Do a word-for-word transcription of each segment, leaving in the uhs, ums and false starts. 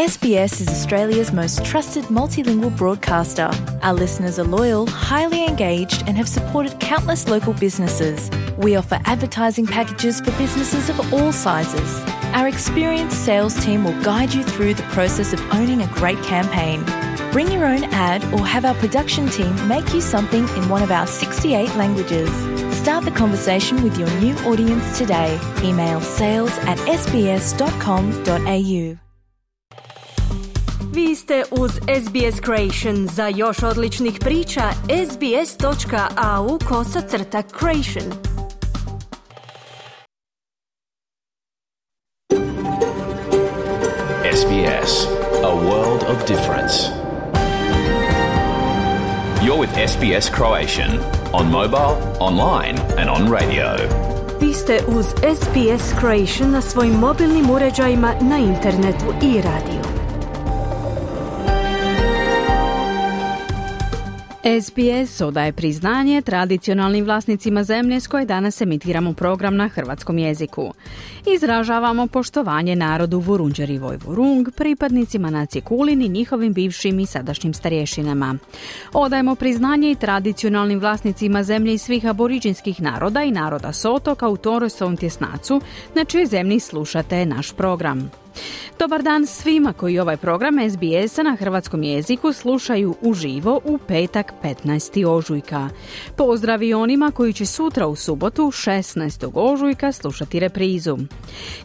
S B S is Australia's most trusted multilingual broadcaster. Our listeners are loyal, highly engaged, and have supported countless local businesses. We offer advertising packages for businesses of all sizes. Our experienced sales team will guide you through the process of owning a great campaign. Bring your own ad or have our production team make you something in one of our sixty-eight languages. Start the conversation with your new audience today. Email sales at s b s dot com dot a u. Vi ste uz S B S Creation. Za još odličnih priča, sbs.au kosacrta creation. S B S, a world of difference. You're with S B S Croatian, on mobile, online and on radio. Vi ste uz S B S Creation na svojim mobilnim uređajima, na internetu i radiju. S B S odaje priznanje tradicionalnim vlasnicima zemlje s koje danas emitiramo program na hrvatskom jeziku. Izražavamo poštovanje narodu Vurundjeri Vojvorung, pripadnicima nacije Kulin i njihovim bivšim i sadašnjim starješinama. Odajemo priznanje i tradicionalnim vlasnicima zemlje i svih aboriđinskih naroda i naroda s otoka u Torresovom tjesnacu, na čijoj zemlji slušate naš program. Dobar dan svima koji ovaj program S B S-a na hrvatskom jeziku slušaju uživo u petak petnaestog ožujka. Pozdrav i onima koji će sutra u subotu šesnaestog ožujka slušati reprizu.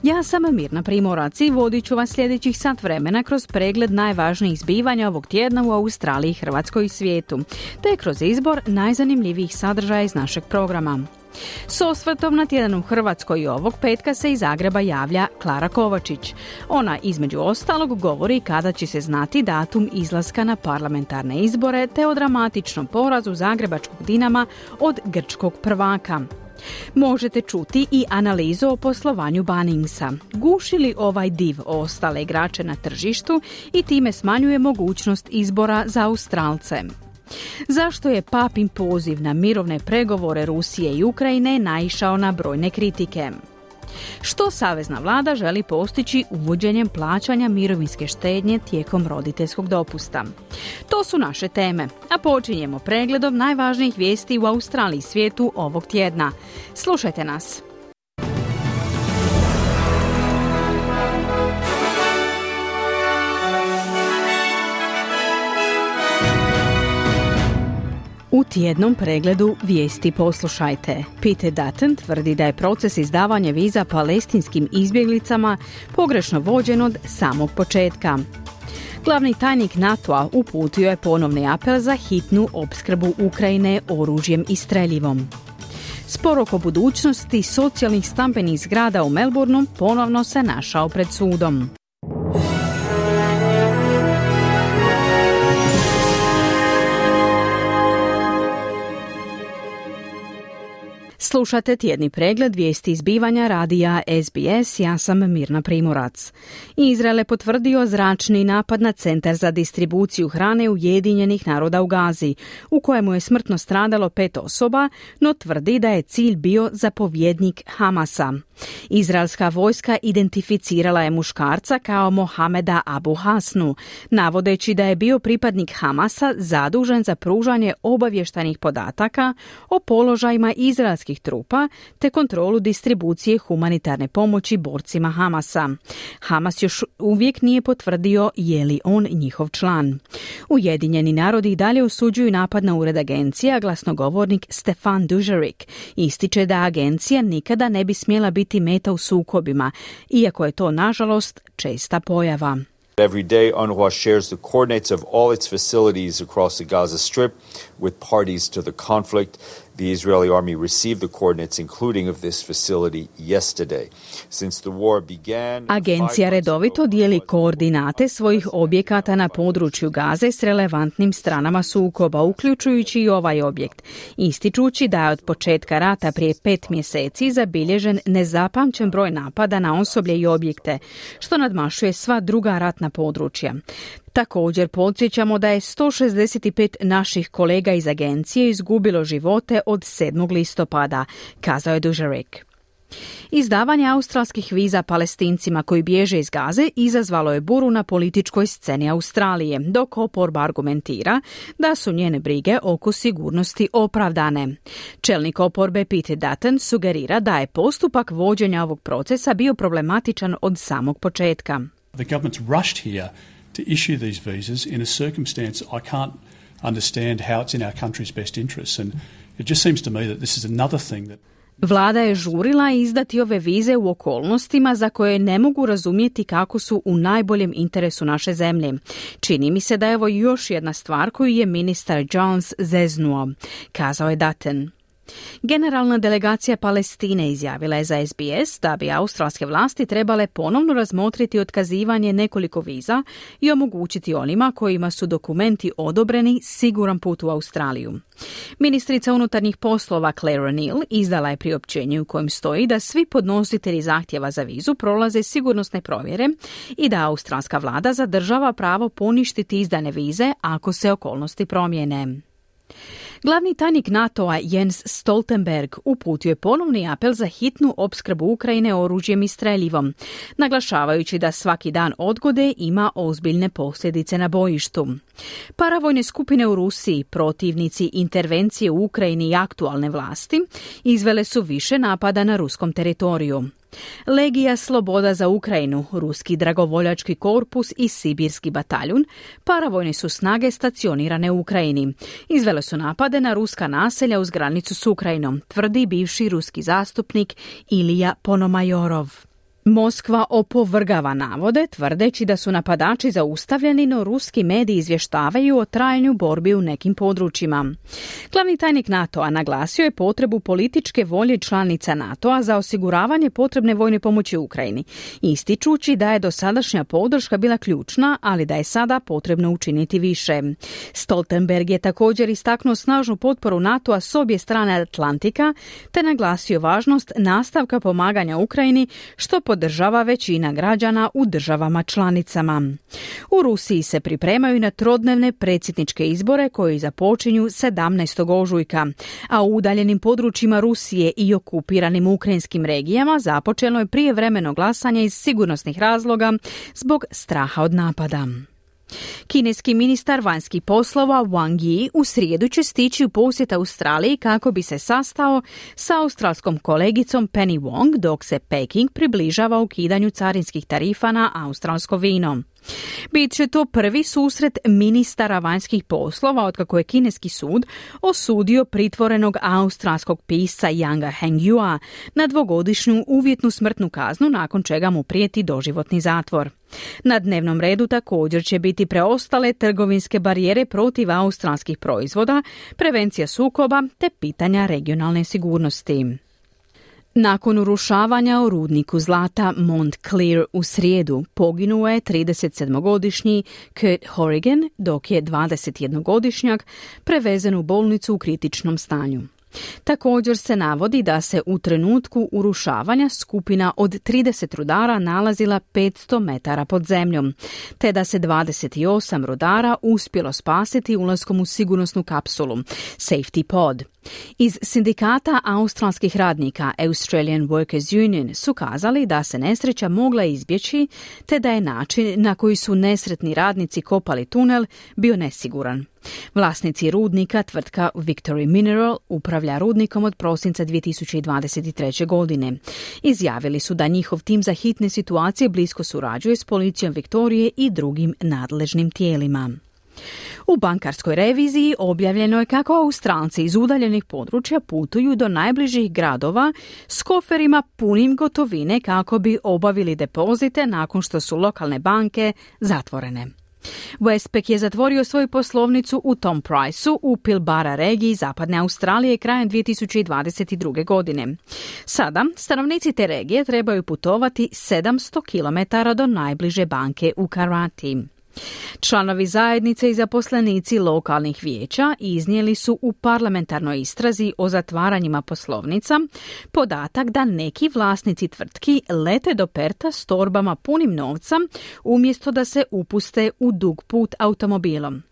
Ja sam Mirna Primorac i vodit ću vas sljedećih sat vremena kroz pregled najvažnijih zbivanja ovog tjedna u Australiji, Hrvatskoj i svijetu, te kroz izbor najzanimljivijih sadržaja iz našeg programa. S osvrtom na tjedan u Hrvatskoj i ovog petka se iz Zagreba javlja Klara Kovačić. Ona između ostalog govori kada će se znati datum izlaska na parlamentarne izbore te o dramatičnom porazu zagrebačkog Dinama od grčkog prvaka. Možete čuti i analizu o poslovanju Bunningsa. Guši li ovaj div ostale igrače na tržištu i time smanjuje mogućnost izbora za Australce? Zašto je papin poziv na mirovne pregovore Rusije i Ukrajine naišao na brojne kritike? Što savezna vlada želi postići uvođenjem plaćanja mirovinske štednje tijekom roditeljskog dopusta? To su naše teme, a počinjemo pregledom najvažnijih vijesti u Australiji i svijetu ovog tjedna. Slušajte nas. U tjednom pregledu vijesti poslušajte. Peter Dutton tvrdi da je proces izdavanja viza palestinskim izbjeglicama pogrešno vođen od samog početka. Glavni tajnik NATO-a uputio je ponovni apel za hitnu opskrbu Ukrajine oružjem i streljivom. Spor oko budućnosti socijalnih stambenih zgrada u Melbourneu ponovno se našao pred sudom. Slušate tjedni pregled vijesti izbivanja radija S B S, ja sam Mirna Primorac. Izrael je potvrdio zračni napad na centar za distribuciju hrane Ujedinjenih naroda u Gazi, u kojemu je smrtno stradalo pet osoba, no tvrdi da je cilj bio zapovjednik Hamasa. Izraelska vojska identificirala je muškarca kao Mohameda Abu Hasnu, navodeći da je bio pripadnik Hamasa zadužen za pružanje obavještajnih podataka o položajima izraelskih trupa te kontrolu distribucije humanitarne pomoći borcima Hamasa. Hamas još uvijek nije potvrdio je li on njihov član. Ujedinjeni narodi i dalje osuđuju napad na ured agencije, a glasnogovornik Stefan Dujarric ističe da agencija nikada ne bi smjela biti meta u sukobima, iako je to nažalost česta pojava. Every day, UNRWA shares the coordinates of all its facilities across the Gaza Strip with parties to the conflict. The Israeli army received the coordinates, including of this facility, yesterday. Since the war began, Agencija redovito dijeli koordinate svojih objekata na području Gaze s relevantnim stranama sukoba, uključujući i ovaj objekt, ističući da je od početka rata prije pet mjeseci zabilježen nezapamćen broj napada na osoblje i objekte, što nadmašuje sva druga ratna područja. Također podsjećamo da je sto šezdeset pet naših kolega iz agencije izgubilo živote od sedmog listopada, kazao je Dujarric. Izdavanje australskih viza Palestincima koji bježe iz Gaze izazvalo je buru na političkoj sceni Australije, dok oporba argumentira da su njene brige oko sigurnosti opravdane. Čelnik oporbe Peter Dutton sugerira da je postupak vođenja ovog procesa bio problematičan od samog početka. The government's rushed here to issue these visas in a circumstance I can't understand how it's in our country's best interests, and it just seems to me that this is another thing that Vlada je žurila izdati ove vize u okolnostima za koje ne mogu razumjeti kako su u najboljem interesu naše zemlje. Čini mi se da je ovo još jedna stvar koju je ministar Jones zeznuo, kazao je Dutton. Generalna delegacija Palestine izjavila je za S B S da bi australske vlasti trebale ponovno razmotriti otkazivanje nekoliko viza i omogućiti onima kojima su dokumenti odobreni siguran put u Australiju. Ministrica unutarnjih poslova Claire O'Neill izdala je priopćenje u kojem stoji da svi podnositelji zahtjeva za vizu prolaze sigurnosne provjere i da australska vlada zadržava pravo poništiti izdane vize ako se okolnosti promijene. Glavni tajnik NATO-a Jens Stoltenberg uputio je ponovni apel za hitnu opskrbu Ukrajine oružjem i streljivom, naglašavajući da svaki dan odgode ima ozbiljne posljedice na bojištu. Paravojne skupine u Rusiji, protivnici intervencije u Ukrajini i aktualne vlasti, izvele su više napada na ruskom teritoriju. Legija Sloboda za Ukrajinu, Ruski dragovoljački korpus i Sibirski bataljun, paravojne su snage stacionirane u Ukrajini. Izvele su napade na ruska naselja uz granicu s Ukrajinom, tvrdi bivši ruski zastupnik Ilija Ponomajorov. Moskva opovrgava navode, tvrdeći da su napadači zaustavljeni, no ruski mediji izvještavaju o trajanju borbi u nekim područjima. Glavni tajnik NATO-a naglasio je potrebu političke volje članica NATO-a za osiguravanje potrebne vojne pomoći Ukrajini, ističući da je dosadašnja podrška bila ključna, ali da je sada potrebno učiniti više. Stoltenberg je također istaknuo snažnu potporu NATO-a s obje strane Atlantika, te naglasio važnost nastavka pomaganja Ukrajini, što podržava većina građana u državama članicama. U Rusiji se pripremaju na trodnevne predsjedničke izbore koji započinju sedamnaestog ožujka, a u udaljenim područjima Rusije i okupiranim ukrajinskim regijama započelo je prijevremeno glasanje iz sigurnosnih razloga zbog straha od napada. Kineski ministar vanjskih poslova Wang Yi u srijedu će stići u posjet Australiji kako bi se sastao sa australskom kolegicom Penny Wong dok se Peking približava ukidanju carinskih tarifa na australsko vino. Bit će to prvi susret ministara vanjskih poslova otkako je kineski sud osudio pritvorenog australskog pisca Yanga Hengyua na dvogodišnju uvjetnu smrtnu kaznu nakon čega mu prijeti doživotni zatvor. Na dnevnom redu također će biti preostale trgovinske barijere protiv australskih proizvoda, prevencija sukoba te pitanja regionalne sigurnosti. Nakon urušavanja u rudniku zlata Mount Clear u srijedu poginuo je tridesetsedmogodišnji Kurt Horrigan, dok je dvadesetjednogodišnjak prevezen u bolnicu u kritičnom stanju. Također se navodi da se u trenutku urušavanja skupina od trideset rudara nalazila petsto metara pod zemljom, te da se dvadeset osam rudara uspjelo spasiti ulaskom u sigurnosnu kapsulu, Safety Pod. Iz sindikata australskih radnika Australian Workers Union su kazali da se nesreća mogla izbjeći, te da je način na koji su nesretni radnici kopali tunel bio nesiguran. Vlasnici rudnika, tvrtka Victory Mineral, upravlja rudnikom od prosinca dvije tisuće dvadeset treće. godine. Izjavili su da njihov tim za hitne situacije blisko surađuje s policijom Viktorije i drugim nadležnim tijelima. U bankarskoj reviziji objavljeno je kako Australci iz udaljenih područja putuju do najbližih gradova s koferima punim gotovine kako bi obavili depozite nakon što su lokalne banke zatvorene. Westpac je zatvorio svoju poslovnicu u Tom Priceu u Pilbara regiji zapadne Australije krajem dvije tisuće dvadeset druge. godine. Sada stanovnici te regije trebaju putovati sedamsto kilometara do najbliže banke u Karati. Članovi zajednice i zaposlenici lokalnih vijeća iznijeli su u parlamentarnoj istrazi o zatvaranjima poslovnica podatak da neki vlasnici tvrtki lete do Perta s torbama punim novca umjesto da se upuste u dug put automobilom.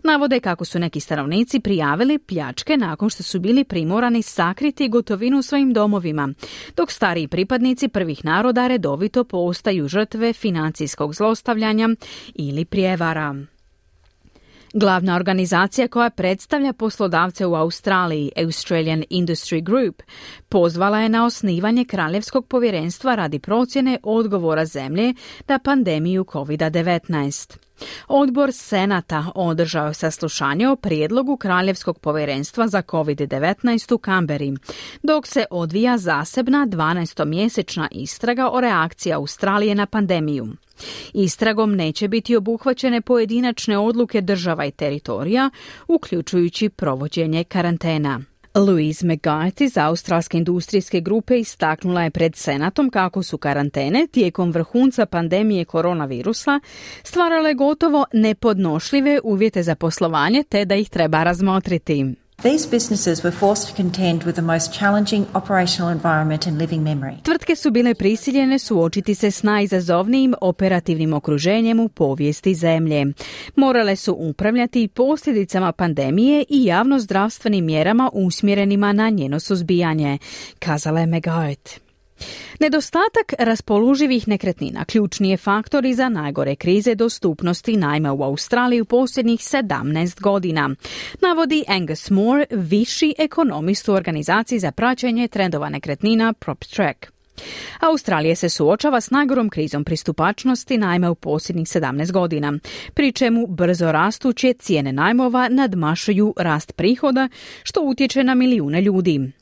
Navode kako su neki stanovnici prijavili pljačke nakon što su bili primorani sakriti gotovinu u svojim domovima, dok stariji pripadnici prvih naroda redovito postaju žrtve financijskog zlostavljanja ili prijevara. Glavna organizacija koja predstavlja poslodavce u Australiji, Australian Industry Group, pozvala je na osnivanje Kraljevskog povjerenstva radi procjene odgovora zemlje na pandemiju kovid devetnaest. Odbor Senata održao je saslušanje o prijedlogu Kraljevskog povjerenstva za kovid devetnaest u Kamberi, dok se odvija zasebna dvanaestomjesečna istraga o reakciji Australije na pandemiju. Istragom neće biti obuhvaćene pojedinačne odluke država i teritorija, uključujući provođenje karantena. Louise McGuire iz Australske industrijske grupe istaknula je pred Senatom kako su karantene tijekom vrhunca pandemije koronavirusa stvarale gotovo nepodnošljive uvjete za poslovanje te da ih treba razmotriti. These businesses were forced to contend with the most challenging operational environment in living memory. Tvrtke su bile prisiljene suočiti se s najizazovnijim operativnim okruženjem u povijesti zemlje. Morale su upravljati posljedicama pandemije i javnozdravstvenim mjerama usmjerenima na njeno suzbijanje, kazala je McGuire. Nedostatak raspoloživih nekretnina ključni je faktor i za najgore krize dostupnosti najma u Australiji u posljednjih sedamnaest godina, navodi Angus Moore, viši ekonomist u organizaciji za praćenje trendova nekretnina PropTrack. Australija se suočava s najgorom krizom pristupačnosti najma u posljednjih sedamnaest godina, pri čemu brzo rastuće cijene najmova nadmašuju rast prihoda, što utječe na milijune ljudi.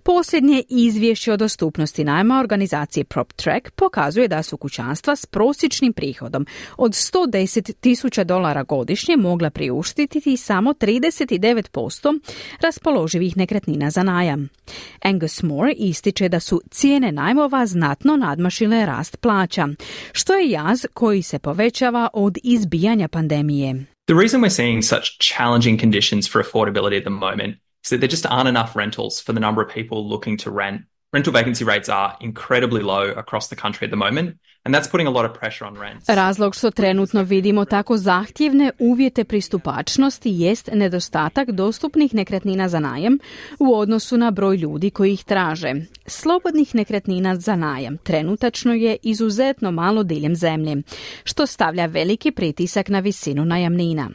Posljednje izvješće o dostupnosti najma organizacije PropTrack pokazuje da su kućanstva s prosječnim prihodom od sto deset tisuća dolara godišnje mogla priuštiti samo trideset devet posto raspoloživih nekretnina za najam. Angus Moore ističe da su cijene najmova znatno nadmašile rast plaća, što je jaz koji se povećava od izbijanja pandemije. The reason we're seeing such challenging conditions for affordability at the moment is that there just aren't enough rentals for the number of people looking to rent. Rental vacancy rates are incredibly low across the country at the moment, and that's putting a lot of pressure on rents. Razlog što trenutno vidimo tako zahtjevne uvjete pristupačnosti jest nedostatak dostupnih nekretnina za najam u odnosu na broj ljudi koji ih traže. Slobodnih nekretnina za najam trenutačno je izuzetno malo diljem zemlje, što stavlja veliki pritisak na visinu najamnina.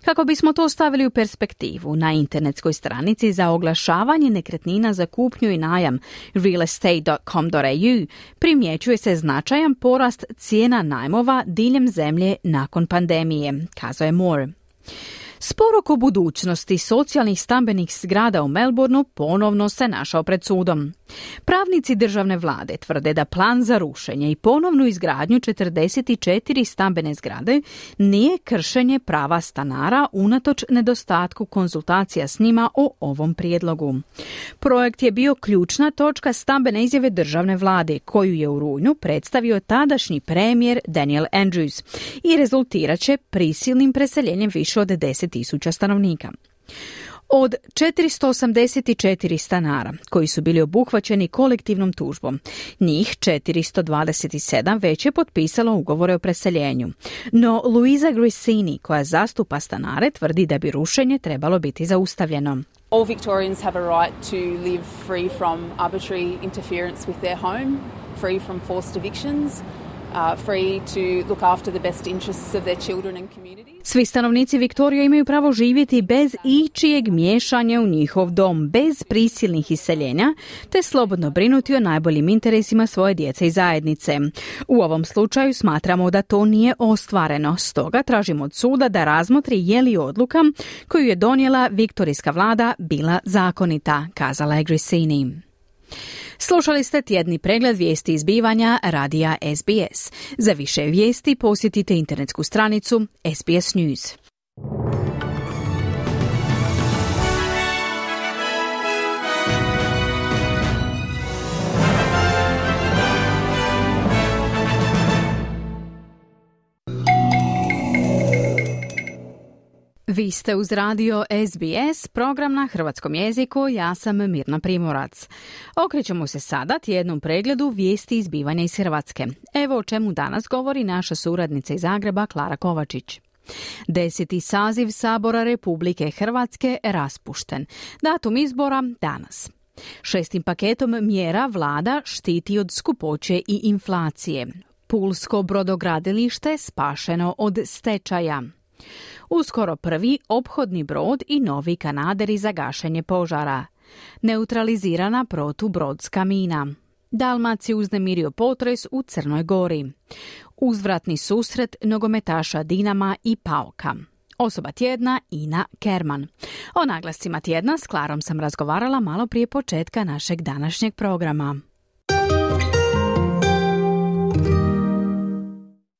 Kako bismo to stavili u perspektivu, na internetskoj stranici za oglašavanje nekretnina za kupnju i najam real estate dot com dot a u primjećuje se značajan porast cijena najmova diljem zemlje nakon pandemije, kazao je Moore. Spor oko budućnosti socijalnih stambenih zgrada u Melbourneu ponovno se našao pred sudom. Pravnici državne vlade tvrde da plan za rušenje i ponovnu izgradnju četrdeset četiri stambene zgrade nije kršenje prava stanara unatoč nedostatku konzultacija s njima o ovom prijedlogu. Projekt je bio ključna točka stambene izjave državne vlade, koju je u rujnu predstavio tadašnji premijer Daniel Andrews i rezultirat će prisilnim preseljenjem više od deset tisuća stanovnika. Od četiristo osamdeset četiri stanara koji su bili obuhvaćeni kolektivnom tužbom, njih četiristo dvadeset sedam već je potpisalo ugovore o preseljenju. No Louisa Grissini, koja zastupa stanare, tvrdi da bi rušenje trebalo biti zaustavljeno. All Victorians have a right to live free from arbitrary interference with their home, free from forced evictions, uh, free to look after the best interests of their children and communities. Svi stanovnici Viktorije imaju pravo živjeti bez ičijeg miješanja u njihov dom, bez prisilnih iseljenja, te slobodno brinuti o najboljim interesima svoje djece i zajednice. U ovom slučaju smatramo da to nije ostvareno, stoga tražimo od suda da razmotri je li odluka koju je donijela viktorijska vlada bila zakonita, kazala je Grissini. Slušali ste tjedni pregled vijesti izbivanja radija S B S. Za više vijesti posjetite internetsku stranicu S B S News. Vi ste uz radio S B S, program na hrvatskom jeziku, ja sam Mirna Primorac. Okrećemo se sada tjednom pregledu vijesti izbivanja iz Hrvatske. Evo o čemu danas govori naša suradnica iz Zagreba, Klara Kovačić. Deseti saziv Sabora Republike Hrvatske raspušten. Datum izbora danas. Šestim paketom mjera vlada štiti od skupoće i inflacije. Pulsko brodogradilište spašeno od stečaja. Uskoro prvi ophodni brod i novi kanaderi za gašenje požara. Neutralizirana protubrodska mina. Dalmaciju uznemirio potres u Crnoj Gori. Uzvratni susret nogometaša Dinama i Pauka. Osoba tjedna Ina Kerman. O naglascima tjedna s Klarom sam razgovarala malo prije početka našeg današnjeg programa.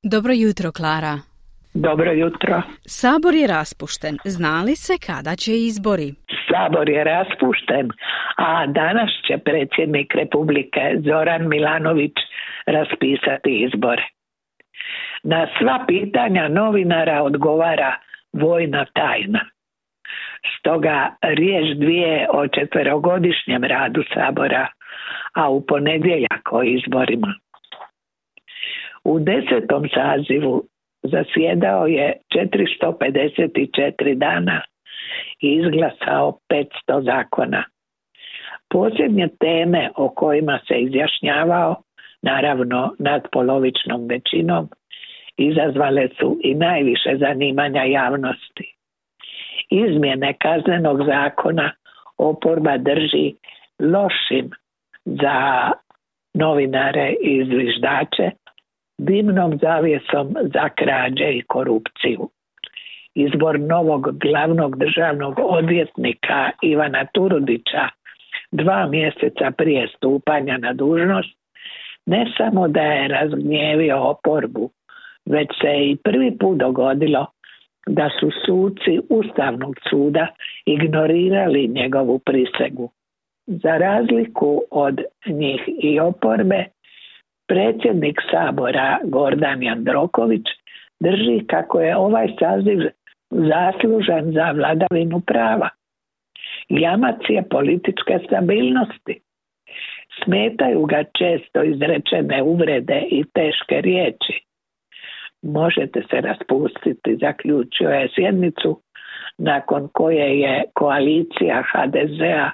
Dobro jutro, Klara. Dobro jutro. Sabor je raspušten. Zna li se kada će izbori? Sabor je raspušten, a danas će predsjednik Republike Zoran Milanović raspisati izbore. Na sva pitanja novinara odgovara vojna tajna. Stoga riječ dvije o četverogodišnjem radu Sabora, a u ponedjeljak o izborima. U desetom sazivu zasjedao je četiristo pedeset četiri dana i izglasao petsto zakona. Posljednje teme o kojima se izjašnjavao, naravno nadpolovičnom većinom, izazvale su i najviše zanimanja javnosti. Izmjene kaznenog zakona oporba drži lošim za novinare i zviždače, dimnom zavjesom za krađe i korupciju. Izbor novog glavnog državnog odvjetnika Ivana Turudića dva mjeseca prije stupanja na dužnost ne samo da je razgnjevio oporbu, već se i prvi put dogodilo da su suci Ustavnog suda ignorirali njegovu prisegu. Za razliku od njih i oporbe, predsjednik Sabora Gordan Jandroković drži kako je ovaj saziv zaslužan za vladavinu prava. Jamac je političke stabilnosti. Smetaju ga često izrečene uvrede i teške riječi. Možete se raspustiti, zaključio je sjednicu nakon koje je koalicija ha de zea,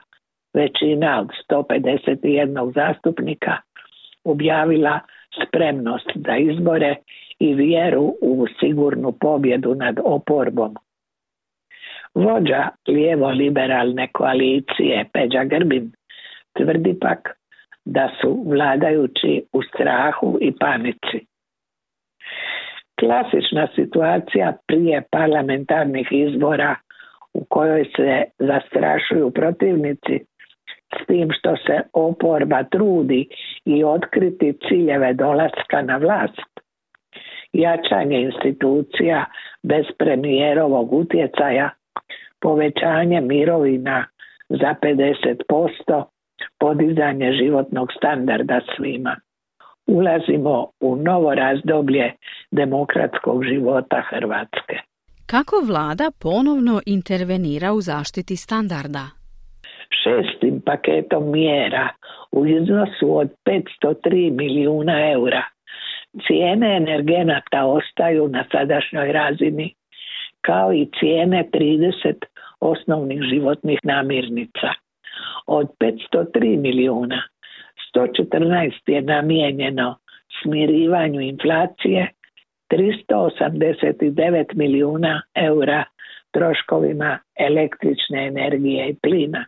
većina od sto pedeset jedan zastupnika, objavila spremnost za izbore i vjeru u sigurnu pobjedu nad oporbom. Vođa lijevo-liberalne koalicije Peđa Grbin tvrdi pak da su vladajući u strahu i panici. Klasična situacija prije parlamentarnih izbora u kojoj se zastrašuju protivnici s tim što se oporba trudi i otkriti ciljeve dolaska na vlast. Jačanje institucija bez premijerovog utjecaja, povećanje mirovina za pedeset posto, podizanje životnog standarda svima. Ulazimo u novo razdoblje demokratskog života Hrvatske. Kako vlada ponovno intervenira u zaštiti standarda? Šestim paketom mjera u iznosu od petsto tri milijuna eura cijene energenata ostaju na sadašnjoj razini, kao i cijene trideset osnovnih životnih namirnica. Od petsto tri milijuna, sto četrnaest je namijenjeno smirivanju inflacije, tristo osamdeset devet milijuna eura troškovima električne energije i plina.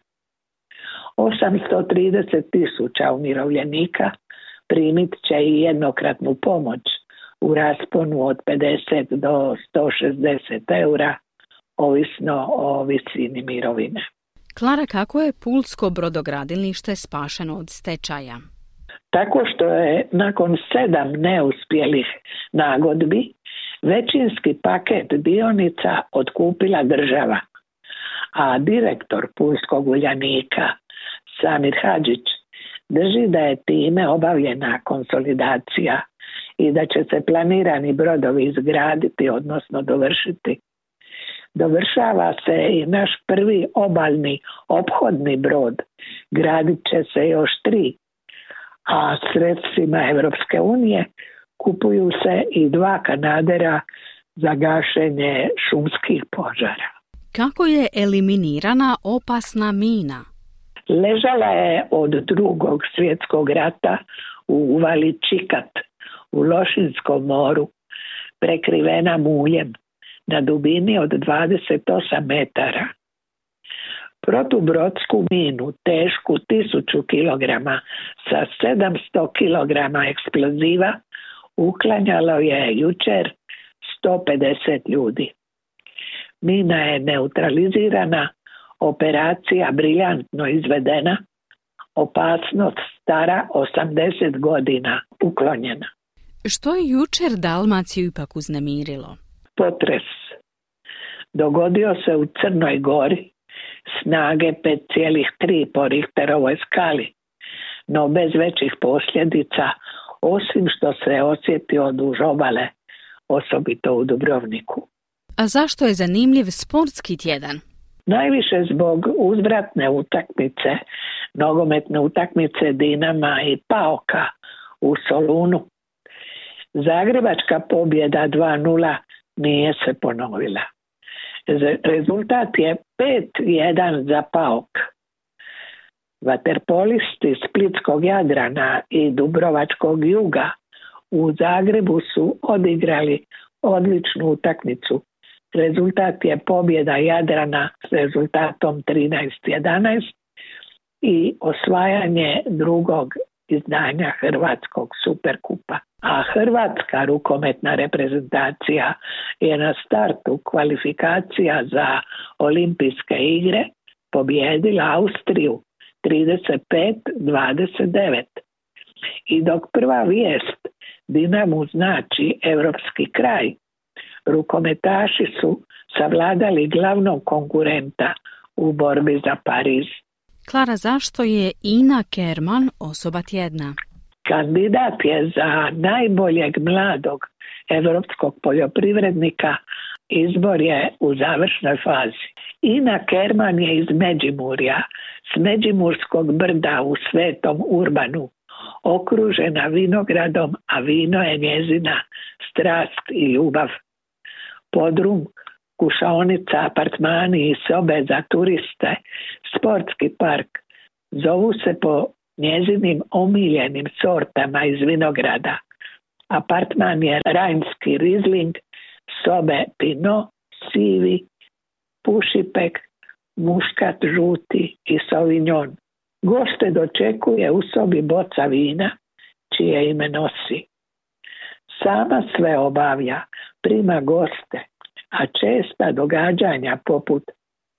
osamsto trideset tisuća umirovljenika primit će i jednokratnu pomoć u rasponu od pedeset do sto šezdeset eura, ovisno o visini mirovine. Klara, kako je pulsko brodogradilište spašeno od stečaja? Tako što je nakon sedam neuspjelih nagodbi većinski paket dionica otkupila država, a direktor Pulskog Uljanika Samir Hadžić drži da je time obavljena konsolidacija i da će se planirani brodovi izgraditi, odnosno dovršiti. Dovršava se i naš prvi obalni ophodni brod, gradit će se još tri, a sredstvima Europske unije kupuju se i dva kanadera za gašenje šumskih požara. Kako je eliminirana opasna mina? Ležala je od drugog svjetskog rata u uvali Čikat u Lošinskom moru, prekrivena muljem na dubini od dvadeset osam metara. Protubrodsku minu tešku tisuću kilograma sa sedamsto kilograma eksploziva uklanjalo je jučer sto pedeset ljudi. Mina je neutralizirana, operacija briljantno izvedena, opasnost stara osamdeset godina uklonjena. Što je jučer Dalmaciju ipak uznemirilo? Potres dogodio se u Crnoj Gori, snage pet zarez tri po Richterovoj skali, no bez većih posljedica, osim što se osjetio duž obale, osobito u Dubrovniku. A zašto je zanimljiv sportski tjedan? Najviše zbog uzvratne utakmice, nogometne utakmice Dinama i Paoka u Solunu. Zagrebačka pobjeda dva nula nije se ponovila. Rezultat je pet jedan za Paok. Vaterpolisti Splitskog Jadrana i Dubrovačkog Juga u Zagrebu su odigrali odličnu utakmicu. Rezultat je pobjeda Jadrana s rezultatom trinaest jedanaest i osvajanje drugog izdanja Hrvatskog Superkupa. A hrvatska rukometna reprezentacija je na startu kvalifikacija za olimpijske igre pobijedila Austriju trideset pet dvadeset devet. I dok prva vijest Dinamu znači europski kraj, rukometaši su savladali glavnog konkurenta u borbi za Pariz. Klara, zašto je Ina Kerman osoba tjedna? Kandidat je za najboljeg mladog europskog poljoprivrednika. Izbor je u završnoj fazi. Ina Kerman je iz Međimurja, s Međimurskog brda u Svetom Urbanu, okružena vinogradom, a vino je njezina strast i ljubav. Podrum, kušaonica, apartmani i sobe za turiste, sportski park zovu se po njezinim omiljenim sortama iz vinograda. Apartman je rajnski Riesling, sobe Pinot, sivi, pušipek, muškat žuti i sauvignon. Goste dočekuje u sobi boca vina, čije ime nosi. Sama sve obavlja, prima goste, a česta događanja poput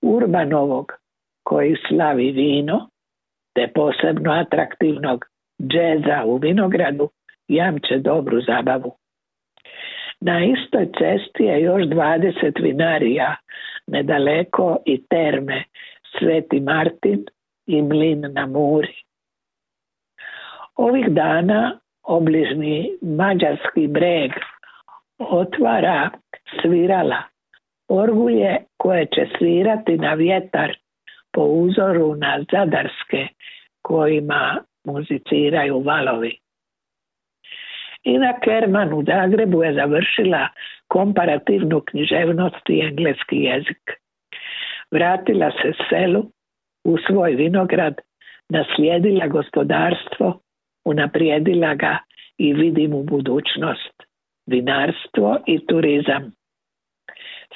Urbanovog, koji slavi vino, te posebno atraktivnog džeza u vinogradu, jamče dobru zabavu. Na istoj cesti je još dvadeset vinarija, nedaleko i terme Sveti Martin i Mlin na Muri. Ovih dana obližni Mađarski breg otvara svirala, orgulje koje će svirati na vjetar po uzoru na zadarske kojima muziciraju valovi. Ina Kerman u Zagrebu je završila komparativnu književnost i engleski jezik. Vratila se selu, u svoj vinograd, naslijedila gospodarstvo, unaprijedila ga i vidi mu budućnost, vinarstvo i turizam.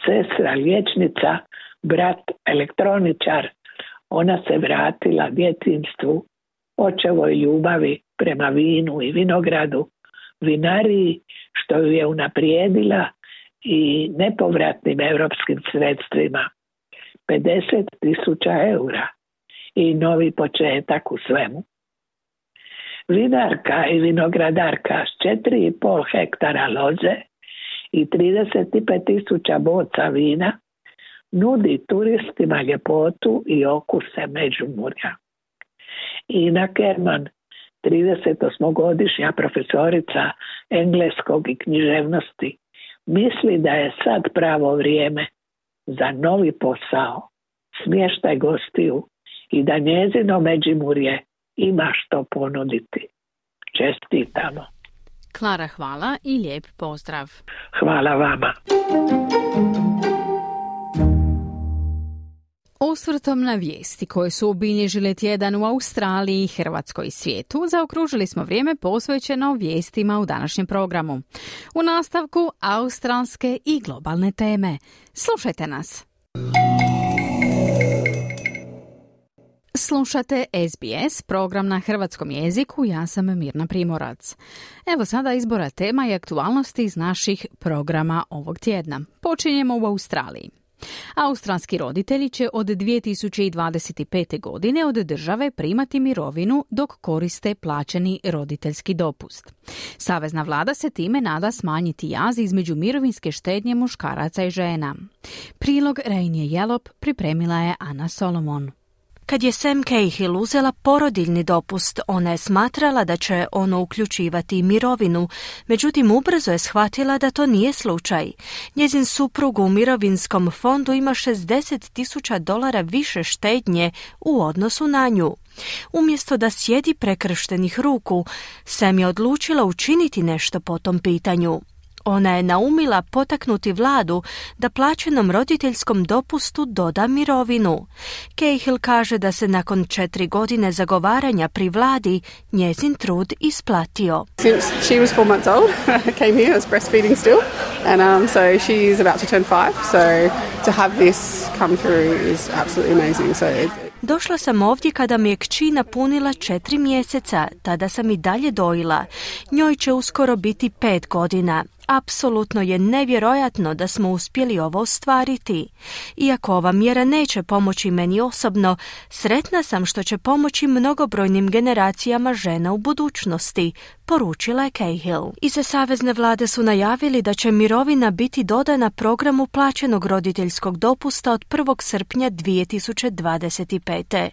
Sestra liječnica, brat elektroničar, ona se vratila djetinjstvu, očevoj ljubavi prema vinu i vinogradu, vinariji što ju je unaprijedila i nepovratnim europskim sredstvima. pedeset tisuća eura i novi početak u svemu. Vinarka i vinogradarka s četiri i pol hektara loze i trideset pet tisuća boca vina nudi turistima ljepotu i okuse Međimurja. Ina Kerman, tridesetosmogodišnja profesorica engleskog i književnosti, misli da je sad pravo vrijeme za novi posao, smještaj gostiju i da njezino Međimurje ima što ponuditi. Čestitamo. Klara, hvala i lijep pozdrav. Hvala vama. Osvrtom na vijesti koje su obilježile tjedan u Australiji, Hrvatskoj i svijetu, zaokružili smo vrijeme posvećeno vijestima u današnjem programu. U nastavku australske i globalne teme. Slušajte nas. Slušate S B S, program na hrvatskom jeziku, ja sam Mirna Primorac. Evo sada izbora tema i aktualnosti iz naših programa ovog tjedna. Počinjemo u Australiji. Australski roditelji će od dvije tisuće dvadeset pete. godine od države primati mirovinu dok koriste plaćeni roditeljski dopust. Savezna vlada se time nada smanjiti jaz između mirovinske štednje muškaraca i žena. Prilog Rainje Jelop pripremila je Ana Solomon. Kad je Sam Cahill uzela porodiljni dopust, ona je smatrala da će ono uključivati mirovinu, međutim ubrzo je shvatila da to nije slučaj. Njezin suprug u mirovinskom fondu ima šezdeset tisuća dolara više štednje u odnosu na nju. Umjesto da sjedi prekrštenih ruku, Sam je odlučila učiniti nešto po tom pitanju. Ona je naumila potaknuti vladu da plaćenom roditeljskom dopustu doda mirovinu. Cahill kaže da se nakon četiri godine zagovaranja pri vladi njezin trud isplatio. Since she was four months old, I came here, I was breastfeeding still, and um, so she is about to turn five, so to have this come through is absolutely amazing. So it, Došla sam ovdje kada mi je kći napunila četiri mjeseca, tada sam i dalje dojila. Njoj će uskoro biti pet godina. Apsolutno je nevjerojatno da smo uspjeli ovo ostvariti. Iako ova mjera neće pomoći meni osobno, sretna sam što će pomoći mnogobrojnim generacijama žena u budućnosti, poručila je Cahill. Iza savezne vlade su najavili da će mirovina biti dodana programu plaćenog roditeljskog dopusta od prvog srpnja dvije tisuće dvadeset pete.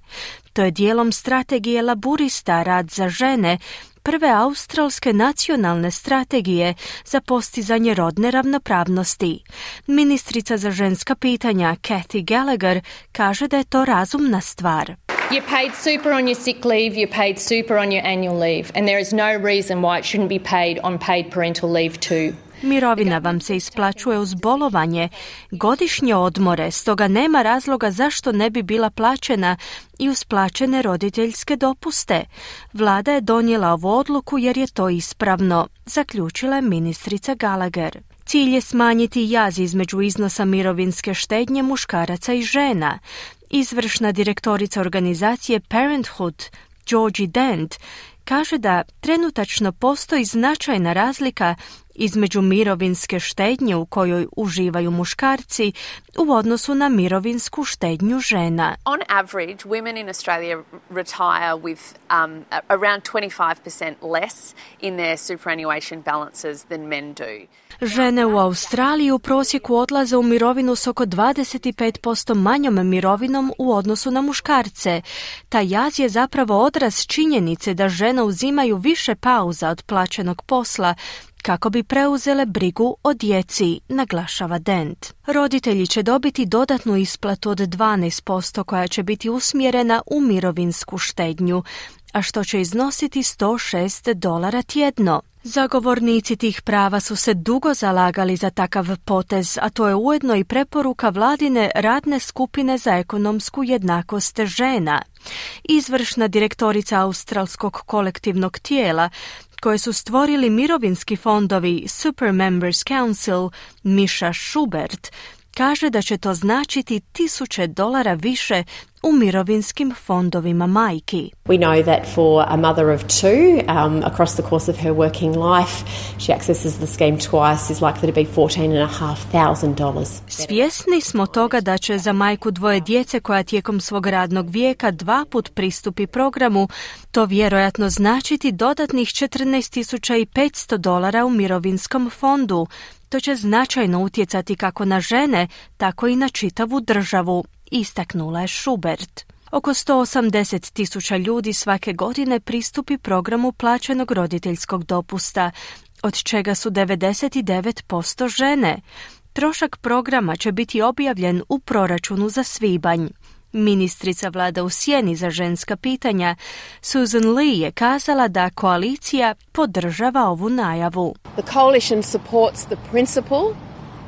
To je dijelom strategije Laburista Rad za žene, prve australske nacionalne strategije za postizanje rodne ravnopravnosti. Ministrica za ženska pitanja Kathy Gallagher kaže da je to razumna stvar. You're paid super on your sick leave, you're paid super on your annual leave, and there is no reason why it shouldn't be paid on paid parental leave too. Mirovina vam se isplaćuje uz bolovanje, godišnje odmore, stoga nema razloga zašto ne bi bila plaćena i uz plaćene roditeljske dopuste. Vlada je donijela ovu odluku jer je to ispravno, zaključila je ministrica Gallagher. Cilj je smanjiti jaz između iznosa mirovinske štednje muškaraca i žena. Izvršna direktorica organizacije Parenthood, Georgie Dent, kaže da trenutačno postoji značajna razlika između mirovinske štednje u kojoj uživaju muškarci u odnosu na mirovinsku štednju žena. On average, women in Australia retire with um, around twenty-five percent less in their superannuation balances than men do. Žene u Australiji u prosjeku odlaze u mirovinu s oko dvadeset pet posto manjom mirovinom u odnosu na muškarce. Taj jaz je zapravo odraz činjenice da žene uzimaju više pauza od plaćenog posla kako bi preuzele brigu o djeci, naglašava Dent. Roditelji će dobiti dodatnu isplatu od dvanaest posto koja će biti usmjerena u mirovinsku štednju, a što će iznositi sto šest dolara tjedno. Zagovornici tih prava su se dugo zalagali za takav potez, a to je ujedno i preporuka vladine radne skupine za ekonomsku jednakost žena. Izvršna direktorica australskog kolektivnog tijela koje su stvorili mirovinski fondovi Super Members Council, Misha Schubert, kaže da će to značiti tisuće dolara više u mirovinskim fondovima majki. We know that for a mother of two, um, across the course of her working life, she accesses the scheme twice, is likely to be fourteen and a half thousand dollars. Svjesni smo toga da će za majku dvoje djece koja tijekom svog radnog vijeka dva put pristupi programu, to vjerojatno značiti dodatnih četrnaest tisuća petsto dolara u mirovinskom fondu. To će značajno utjecati kako na žene, tako i na čitavu državu, istaknula je Schubert. Oko sto osamdeset tisuća ljudi svake godine pristupi programu plaćenog roditeljskog dopusta, od čega su devedeset devet posto žene. Trošak programa će biti objavljen u proračunu za svibanj. Ministrica vlada u sjeni za ženska pitanja Susan Lee je kazala da koalicija podržava ovu najavu. The coalition supports the principle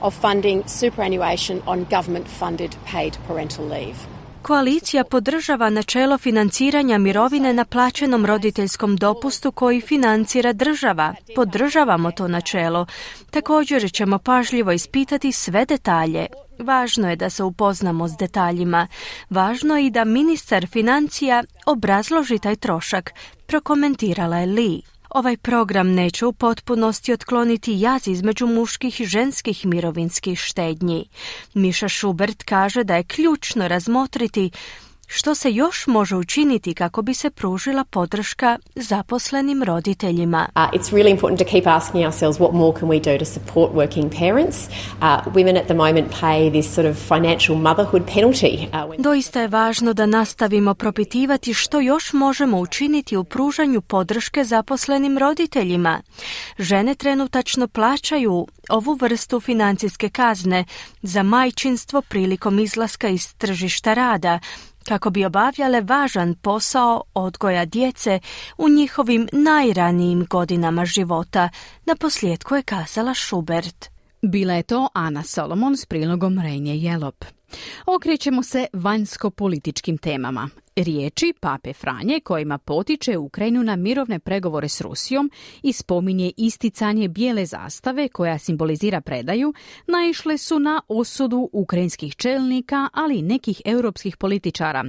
of funding superannuation on government-funded paid parental leave. Koalicija podržava načelo financiranja mirovine na plaćenom roditeljskom dopustu koji financira država. Podržavamo to načelo. Također ćemo pažljivo ispitati sve detalje. Važno je da se upoznamo s detaljima. Važno je i da ministar financija obrazloži taj trošak, prokomentirala je Lee. Ovaj program neće u potpunosti otkloniti jaz između muških i ženskih mirovinskih štednji. Miša Schubert kaže da je ključno razmotriti što se još može učiniti kako bi se pružila podrška zaposlenim roditeljima. Uh, it's really important to keep asking ourselves what more can we do to support working parents. Uh, women at the moment pay this sort of financial motherhood penalty. Uh, when... Doista je važno da nastavimo propitivati što još možemo učiniti u pružanju podrške zaposlenim roditeljima. Žene trenutačno plaćaju ovu vrstu financijske kazne za majčinstvo prilikom izlaska iz tržišta rada, kako bi obavljale važan posao odgoja djece u njihovim najranijim godinama života, naposljetku je kazala Schubert. Bila je to Ana Solomon s prilogom Renje Jelop. Okrećemo se vanjsko-političkim temama. Riječi Pape Franje kojima potiče Ukrajinu na mirovne pregovore s Rusijom i spominje isticanje bijele zastave koja simbolizira predaju, naišle su na osudu ukrajinskih čelnika, ali i nekih europskih političara.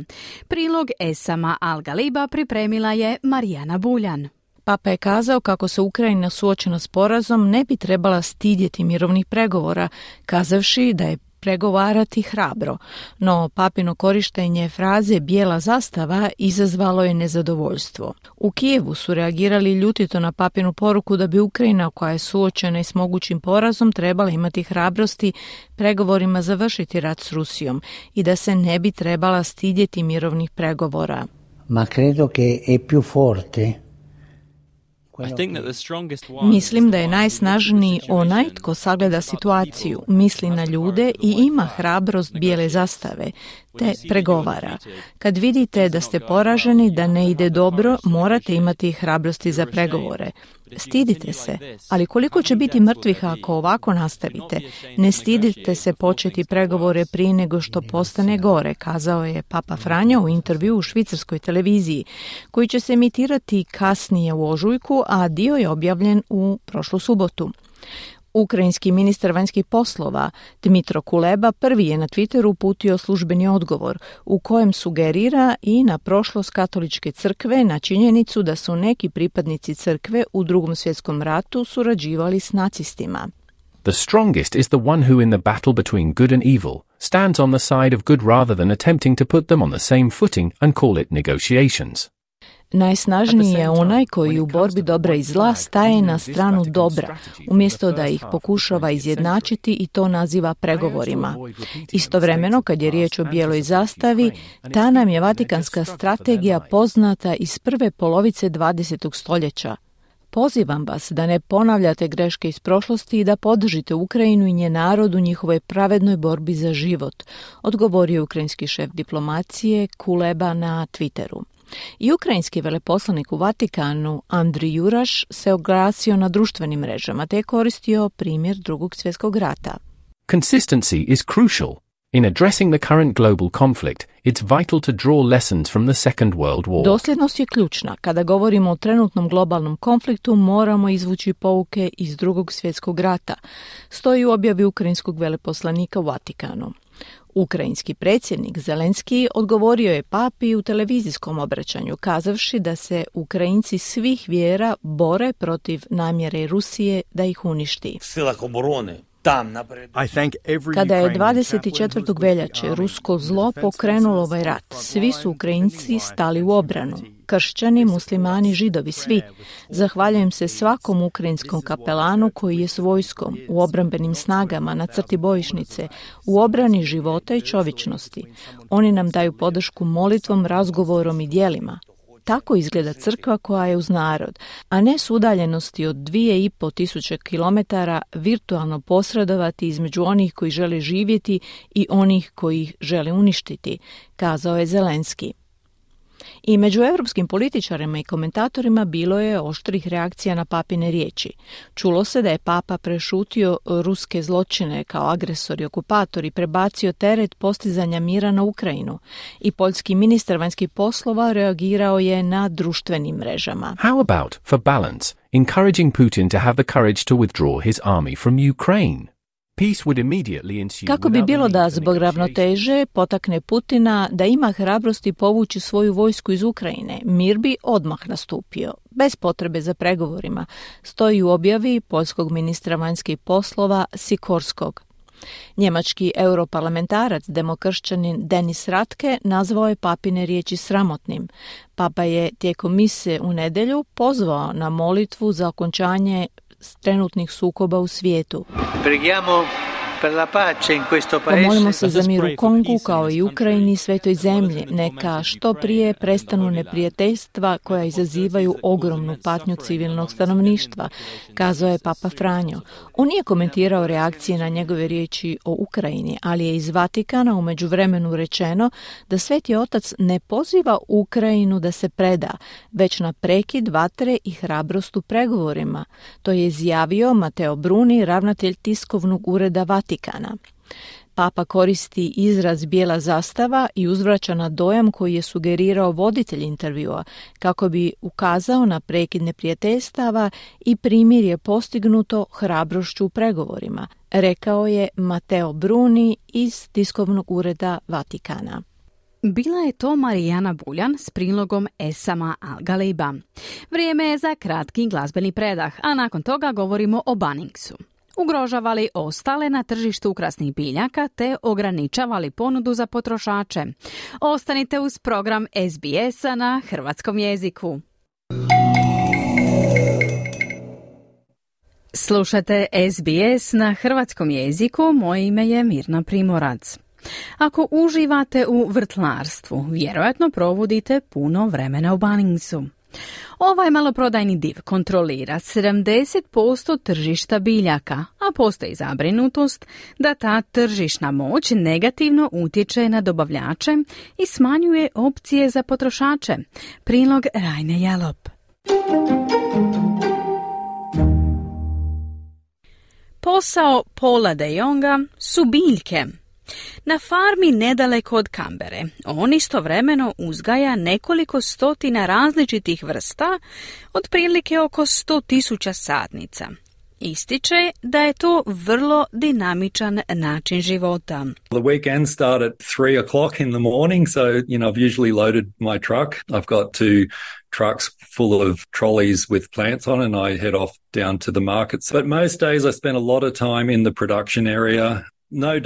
Prilog Esama Al-Galiba pripremila je Marijana Buljan. Papa je kazao kako se Ukrajina suočena s porazom ne bi trebala stidjeti mirovnih pregovora, kazavši da je pregovarati hrabro, no papino korištenje fraze bijela zastava izazvalo je nezadovoljstvo. U Kijevu su reagirali ljutito na papinu poruku da bi Ukrajina, koja je suočena i s mogućim porazom, trebala imati hrabrosti pregovorima završiti rat s Rusijom i da se ne bi trebala stidjeti mirovnih pregovora. Ma credo che è più forte. Mislim da je najsnažniji onaj tko sagleda situaciju, misli na ljude i ima hrabrost bijele zastave, te pregovara. Kad vidite da ste poraženi, da ne ide dobro, morate imati hrabrosti za pregovore. Stidite se, ali koliko će biti mrtvih ako ovako nastavite? Ne stidite se početi pregovore prije nego što postane gore, kazao je Papa Franjo u intervju u švicarskoj televiziji, koji će se emitirati kasnije u ožujku, a dio je objavljen u prošlu subotu. Ukrajinski ministar vanjskih poslova Dmitro Kuleba prvi je na Twitteru uputio službeni odgovor u kojem sugerira i na prošlost katoličke crkve, na činjenicu da su neki pripadnici crkve u Drugom svjetskom ratu surađivali s nacistima. The strongest is the one who in the battle between good and evil stands on the side of good rather than attempting to put them on the same footing and call it negotiations. Najsnažniji je onaj koji u borbi dobra i zla staje na stranu dobra, umjesto da ih pokušava izjednačiti i to naziva pregovorima. Istovremeno, kad je riječ o bijeloj zastavi, ta nam je vatikanska strategija poznata iz prve polovice dvadesetog stoljeća. Pozivam vas da ne ponavljate greške iz prošlosti i da podržite Ukrajinu i njen narod u njihovoj pravednoj borbi za život, odgovorio ukrajinski šef diplomacije Kuleba na Twitteru. I ukrajinski veleposlanik u Vatikanu Andrij Juraš se oglasio na društvenim mrežama te je koristio primjer Drugog svjetskog rata. Consistency is crucial. In addressing the current global conflict, it's vital to draw lessons from the Second World War. Dosljednost je ključna. Kada govorimo o trenutnom globalnom konfliktu, moramo izvući pouke iz Drugog svjetskog rata, stoji u objavi ukrajinskog veleposlanika u Vatikanu. Ukrajinski predsjednik Zelenski odgovorio je papi u televizijskom obraćanju, kazavši da se Ukrajinci svih vjera bore protiv namjere Rusije da ih uništi. Kada je dvadeset četvrtog veljače rusko zlo pokrenulo ovaj rat, svi su Ukrajinci stali u obranu. Kršćani, muslimani, židovi, svi. Zahvaljujem se svakom ukrajinskom kapelanu koji je s vojskom, u obrambenim snagama, na crti bojišnice, u obrani života i čovječnosti. Oni nam daju podršku molitvom, razgovorom i djelima. tako izgleda crkva koja je uz narod, a ne s udaljenosti od dvije i po tisuće kilometara virtualno posredovati između onih koji žele živjeti i onih koji ih žele uništiti, kazao je Zelenski. I među europskim političarima i komentatorima bilo je oštrih reakcija na papine riječi. Čulo se da je papa prešutio ruske zločine kao agresor i okupator i prebacio teret postizanja mira na Ukrajinu. I poljski ministar vanjskih poslova reagirao je na društvenim mrežama. How about, for balance, encouraging Putin to have the courage to withdraw his army from Ukraine? Kako bi bilo da zbog ravnoteže potakne Putina da ima hrabrosti povući svoju vojsku iz Ukrajine, mir bi odmah nastupio, bez potrebe za pregovorima, stoji u objavi poljskog ministra vanjskih poslova Sikorskog. Njemački europarlamentarac, demokršćanin Denis Ratke, nazvao je papine riječi sramotnim. Papa je tijekom mise u nedjelju pozvao na molitvu za okončanje trenutnih sukoba u svijetu. Preghiamo per la pace in questo paese. Pomolimo se za mir u Kongu kao i Ukrajini i svetoj zemlji. Neka što prije prestanu neprijateljstva koja izazivaju ogromnu patnju civilnog stanovništva, kazao je Papa Franjo. On nije komentirao reakcije na njegove riječi o Ukrajini, ali je iz Vatikana u međuvremenu rečeno da Sveti Otac ne poziva Ukrajinu da se preda, već na prekid vatre i hrabrost u pregovorima. To je izjavio Matteo Bruni, ravnatelj tiskovnog ureda Vatikana. Papa koristi izraz bijela zastava i uzvraća na dojam koji je sugerirao voditelj intervjua kako bi ukazao na prekid neprijateljstava i primirje postignuto hrabrošću u pregovorima, rekao je Matteo Bruni iz tiskovnog ureda Vatikana. Bila je to Marijana Buljan s prilogom Esama Al-Galiba. Vrijeme je za kratki glazbeni predah, a nakon toga govorimo o Bunningsu. Ugrožava li ostale na tržištu ukrasnih biljaka te ograničava li ponudu za potrošače? Ostanite uz program S B S-a na hrvatskom jeziku. Slušate S B S na hrvatskom jeziku, moje ime je Mirna Primorac. Ako uživate u vrtlarstvu, vjerojatno provodite puno vremena u Bunningsu. Ovaj maloprodajni div kontrolira sedamdeset posto tržišta biljaka, a postoji zabrinutost da ta tržišna moć negativno utječe na dobavljače i smanjuje opcije za potrošače. Prilog Rajne Jalop. Posao Paula de Jonga su biljke. Na farmi nedaleko od Kambere on istovremeno uzgaja nekoliko stotina različitih vrsta, otprilike oko sto tisuća sadnica. Ističe da je to vrlo dinamičan način života. The weekend start at three o'clock in the morning, so you know I've usually loaded my truck. I've got two trucks full of trolleys with plants on, and I head off down to the markets. But most days I spend a lot of time in the production area.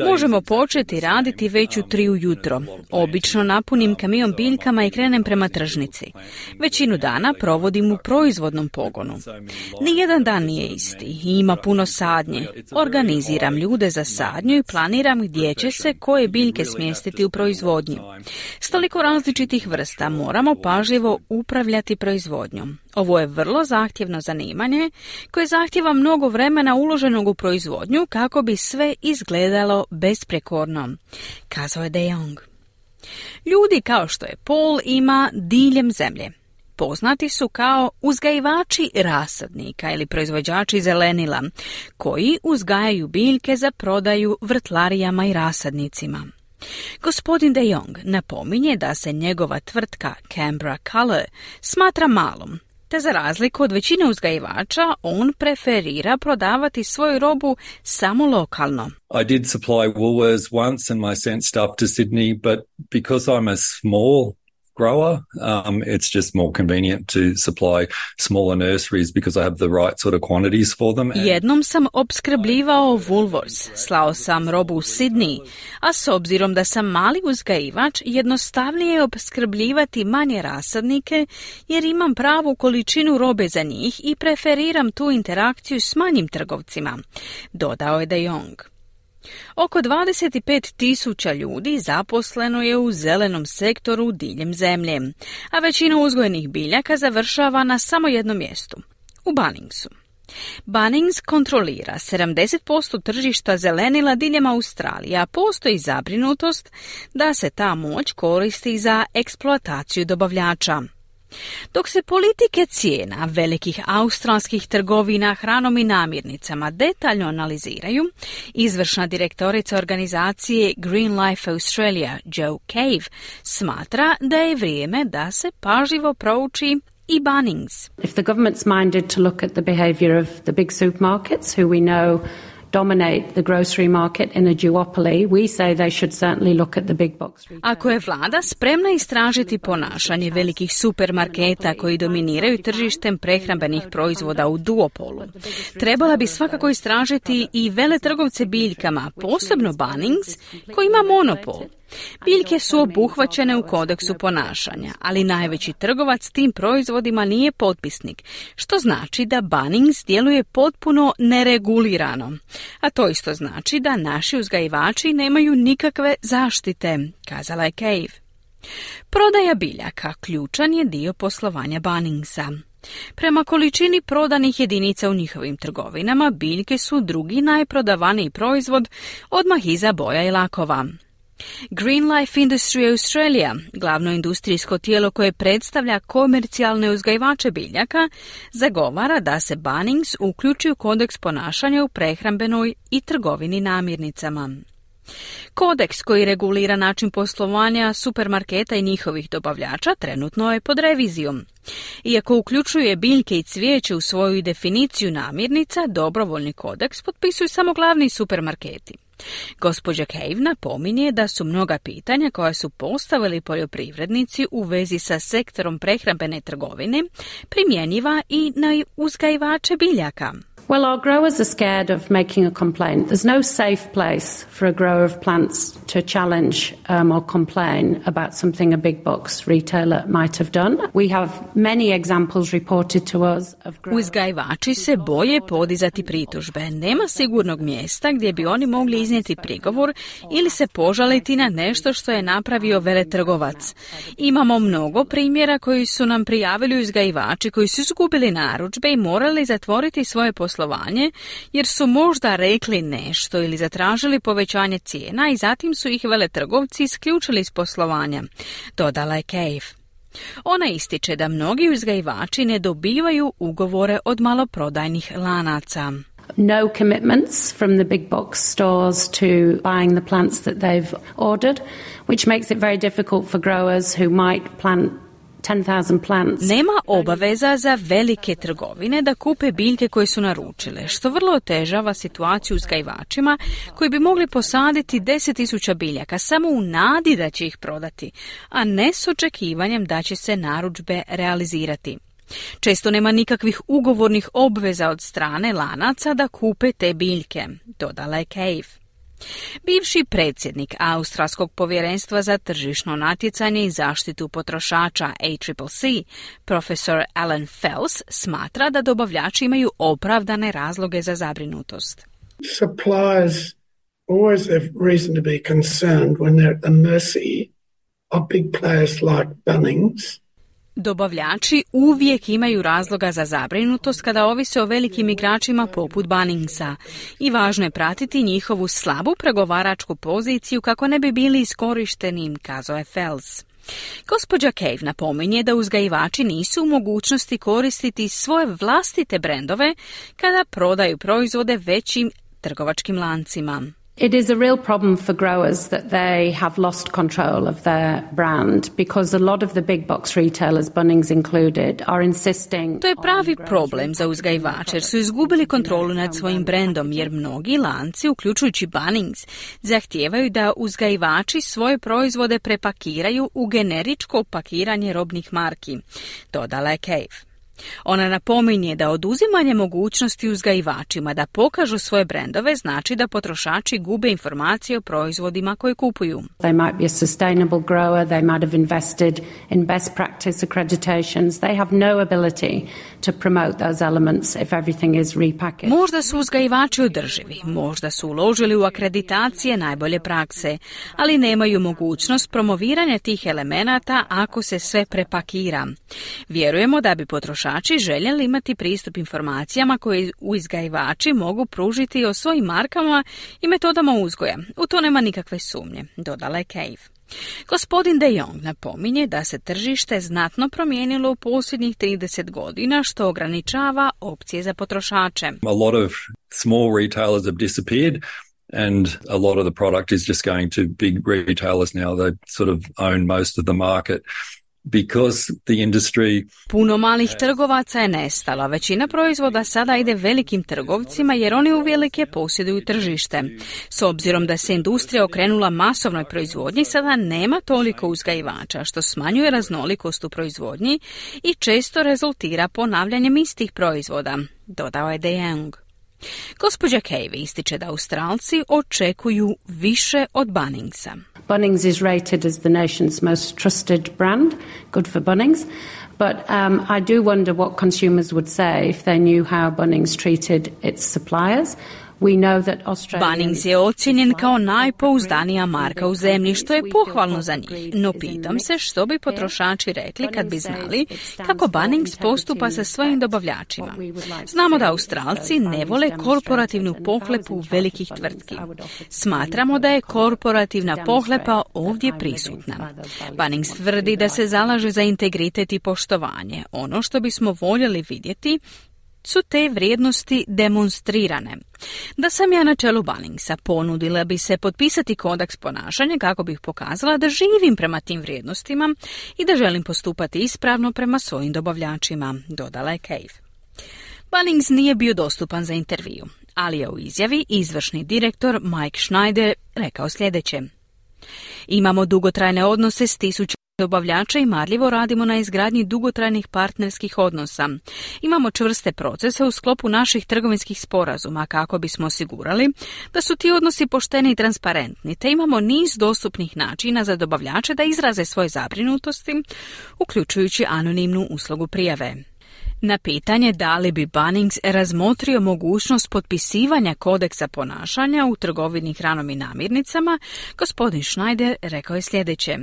Možemo početi raditi već u tri ujutro. Obično napunim kamion biljkama i krenem prema tržnici. Većinu dana provodim u proizvodnom pogonu. Nijedan dan nije isti i ima puno sadnje. Organiziram ljude za sadnju i planiram gdje će se koje biljke smjestiti u proizvodnju. S toliko različitih vrsta moramo pažljivo upravljati proizvodnjom. Ovo je vrlo zahtjevno zanimanje koje zahtjeva mnogo vremena uloženog u proizvodnju kako bi sve izgledalo besprekorno, kazao je De Jong. Ljudi kao što je Paul ima diljem zemlje. Poznati su kao uzgajivači rasadnika ili proizvođači zelenila, koji uzgajaju biljke za prodaju vrtlarijama i rasadnicima. Gospodin De Jong napominje da se njegova tvrtka Canberra Colour smatra malom, te za razliku od većine uzgajivača, on preferira prodavati svoju robu samo lokalno. I did supply Woolworths once and my scent stuff to Sydney, but because I'm a small grower, um, it's just more convenient to supply smaller nurseries because I have the right sort of quantities for them. Jednom sam opskrbljivao Woolworths, slao sam robu u Sydney, a s obzirom da sam mali uzgajivač, jednostavnije je opskrbljivati manje rasadnike jer imam pravu količinu robe za njih i preferiram tu interakciju s manjim trgovcima, dodao je De Jong. Oko dvadeset pet tisuća ljudi zaposleno je u zelenom sektoru diljem zemlje, a većina uzgojenih biljaka završava na samo jednom mjestu, u Bunningsu. Bunnings kontrolira sedamdeset posto tržišta zelenila diljem Australije, a postoji zabrinutost da se ta moć koristi za eksploataciju dobavljača. Dok se politike cijena velikih australskih trgovina hranom i namirnicama detaljno analiziraju, izvršna direktorica organizacije Green Life Australia, Jo Cave, smatra da je vrijeme da se pažljivo prouči i Bunnings. If the government's minded to look at the behaviour of the big supermarkets, who we know dominate the grocery market in a duopoly, we say they should certainly look at the big box. Ako je vlada spremna istražiti ponašanje velikih supermarketa koji dominiraju tržištem prehrambenih proizvoda u duopolu, trebala bi svakako istražiti i veletrgovce biljkama, posebno Bunnings, koji ima monopol. Biljke su obuhvaćene u kodeksu ponašanja, ali najveći trgovac tim proizvodima nije potpisnik, što znači da Bunnings djeluje potpuno neregulirano. A to isto znači da naši uzgajivači nemaju nikakve zaštite, kazala je Cave. Prodaja biljaka ključan je dio poslovanja Bunningsa. Prema količini prodanih jedinica u njihovim trgovinama, biljke su drugi najprodavaniji proizvod odmah iza boja i lakova. Green Life Industry Australia, glavno industrijsko tijelo koje predstavlja komercijalne uzgajivače biljaka, zagovara da se Bunnings uključi u kodeks ponašanja u prehrambenoj i trgovini namirnicama. Kodeks koji regulira način poslovanja supermarketa i njihovih dobavljača trenutno je pod revizijom. Iako uključuje biljke i cvijeće u svoju definiciju namirnica, dobrovoljni kodeks potpisuju samo glavni supermarketi. Gospođa Cave napominje da su mnoga pitanja koja su postavili poljoprivrednici u vezi sa sektorom prehrambene trgovine primjenjiva i na uzgajivače biljaka. Well, our growers are scared of making a complaint. There's no safe place for a grower of plants to challenge um, or complain about something a big box retailer might have done. We have many examples reported to us of growers. Uzgajivači se boje podizati pritužbe. Nema sigurnog mjesta gdje bi oni mogli iznijeti prigovor ili se požaliti na nešto što je napravio veletrgovac. Imamo mnogo primjera koji su nam prijavili uzgajivači koji su izgubili narudžbe i morali zatvoriti svoje poslovanje jer su možda rekli nešto ili zatražili povećanje cijena i zatim su ih veletrgovci isključili iz poslovanja, dodala je Cave. Ona ističe da mnogi uzgajivači ne dobivaju ugovore od maloprodajnih lanaca. No commitments from the big box stores to buying the plants that they've ordered, which makes it very difficult for growers who might plant ten thousand plants. Nema obaveza za velike trgovine da kupe biljke koje su naručile, što vrlo otežava situaciju uzgajivačima koji bi mogli posaditi deset tisuća biljaka samo u nadi da će ih prodati, a ne s očekivanjem da će se narudžbe realizirati. Često nema nikakvih ugovornih obveza od strane lanaca da kupe te biljke, dodala je Cave. Bivši predsjednik Australskog povjerenstva za tržišno natjecanje i zaštitu potrošača A C C C, profesor Alan Fels, smatra da dobavljači imaju opravdane razloge za zabrinutost. Suppliers always have reason to be concerned when they're at the mercy of big players like Bunnings. Dobavljači uvijek imaju razloga za zabrinutost kada ovise o velikim igračima poput Bunningsa i važno je pratiti njihovu slabu pregovaračku poziciju kako ne bi bili iskorišteni, kazao je Fels. Gospođa Cave napominje da uzgajivači nisu u mogućnosti koristiti svoje vlastite brendove kada prodaju proizvode većim trgovačkim lancima. It is a real problem for growers that they have lost control of their brand because a lot of the big box retailers, Bunnings included, are insisting. To je pravi problem za uzgajivače jer su izgubili kontrolu nad svojim brendom jer mnogi lanci, uključujući Bunnings, zahtijevaju da uzgajivači svoje proizvode prepakiraju u generičko pakiranje robnih marki, dodala je Cave. Ona napominje da oduzimanje mogućnosti uzgajivačima da pokažu svoje brendove znači da potrošači gube informacije o proizvodima koje kupuju. They might be a sustainable grower, they might have invested in best practice accreditations. They have no ability to promote those elements if everything is repackaged. Možda su uzgajivači održivi, možda su uložili u akreditacije najbolje prakse, ali nemaju mogućnost promoviranja tih elemenata ako se sve prepakira. Vjerujemo da bi potrošači željeli imati pristup informacijama koje uzgajivači mogu pružiti o svojim markama i metodama uzgoja. U to nema nikakve sumnje, dodala je Cave. Gospodin De Jong napominje da se tržište znatno promijenilo u posljednjih trideset godina, što ograničava opcije za potrošače. A lot of small retailers have disappeared. And a lot of the product is just going to big retailers now. They sort of own most of the market. Because the industry... Puno malih trgovaca je nestalo. Većina proizvoda sada ide velikim trgovcima jer oni uvelike posjeduju tržište. S obzirom da se industrija okrenula masovnoj proizvodnji, sada nema toliko uzgajivača, što smanjuje raznolikost u proizvodnji i često rezultira ponavljanjem istih proizvoda, dodao je De Jong. Gospođa Cave ističe da Australci očekuju više od Bunningsa. Bunnings is rated as the nation's most trusted brand, good for Bunnings, but um, I do wonder what consumers would say if they knew how Bunnings treated its suppliers. We know that Australian... Bunnings je ocijenjen kao najpouzdanija marka u zemlji, što je pohvalno za njih. No pitam se što bi potrošači rekli kad bi znali kako Bunnings postupa sa svojim dobavljačima. Znamo da Australci ne vole korporativnu pohlepu velikih tvrtki. Smatramo da je korporativna pohlepa ovdje prisutna. Bunnings tvrdi da se zalaže za integritet i poštovanje. Ono što bismo voljeli vidjeti su te vrijednosti demonstrirane. Da sam ja na čelu Bunningsa, ponudila bi se potpisati kodeks ponašanja kako bih pokazala da živim prema tim vrijednostima i da želim postupati ispravno prema svojim dobavljačima, dodala je Cave. Bunnings nije bio dostupan za intervju, ali je u izjavi izvršni direktor Mike Schneider rekao sljedeće. Imamo dugotrajne odnose s tisućama dobavljača i marljivo radimo na izgradnji dugotrajnih partnerskih odnosa. Imamo čvrste procese u sklopu naših trgovinskih sporazuma kako bismo osigurali da su ti odnosi pošteni i transparentni, te imamo niz dostupnih načina za dobavljače da izraze svoje zabrinutosti, uključujući anonimnu uslugu prijave. Na pitanje da li bi Bunnings razmotrio mogućnost potpisivanja kodeksa ponašanja u trgovini hranom i namirnicama, gospodin Schneider rekao je sljedeće.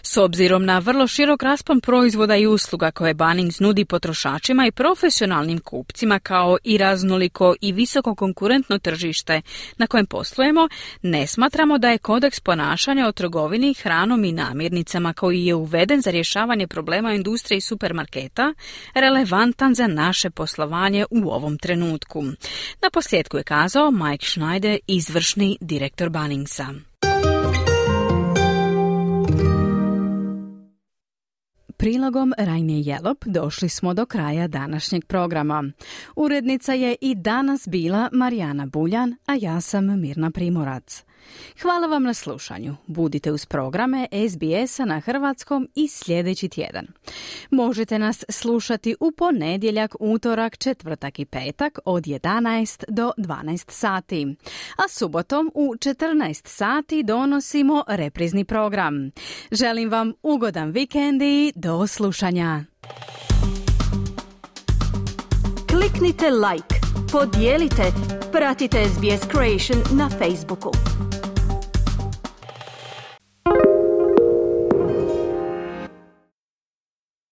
S obzirom na vrlo širok raspon proizvoda i usluga koje Bunnings nudi potrošačima i profesionalnim kupcima, kao i raznoliko i visoko konkurentno tržište na kojem poslujemo, ne smatramo da je kodeks ponašanja o trgovini hranom i namirnicama koji je uveden za rješavanje problema industrije i supermarketa relevantan za naše poslovanje u ovom trenutku. Na posljedku je kazao Mike Schneider, izvršni direktor Bunningsa. Prilogom Rajne Jelop došli smo do kraja današnjeg programa. Urednica je i danas bila Marijana Buljan, a ja sam Mirna Primorac. Hvala vam na slušanju. Budite uz programe S B S-a na hrvatskom i sljedeći tjedan. Možete nas slušati u ponedjeljak, utorak, četvrtak i petak od jedanaest do dvanaest sati. A subotom u četrnaest sati donosimo reprizni program. Želim vam ugodan vikend i do slušanja. Kliknite like, podijelite, pratite S B S Creation na Facebooku.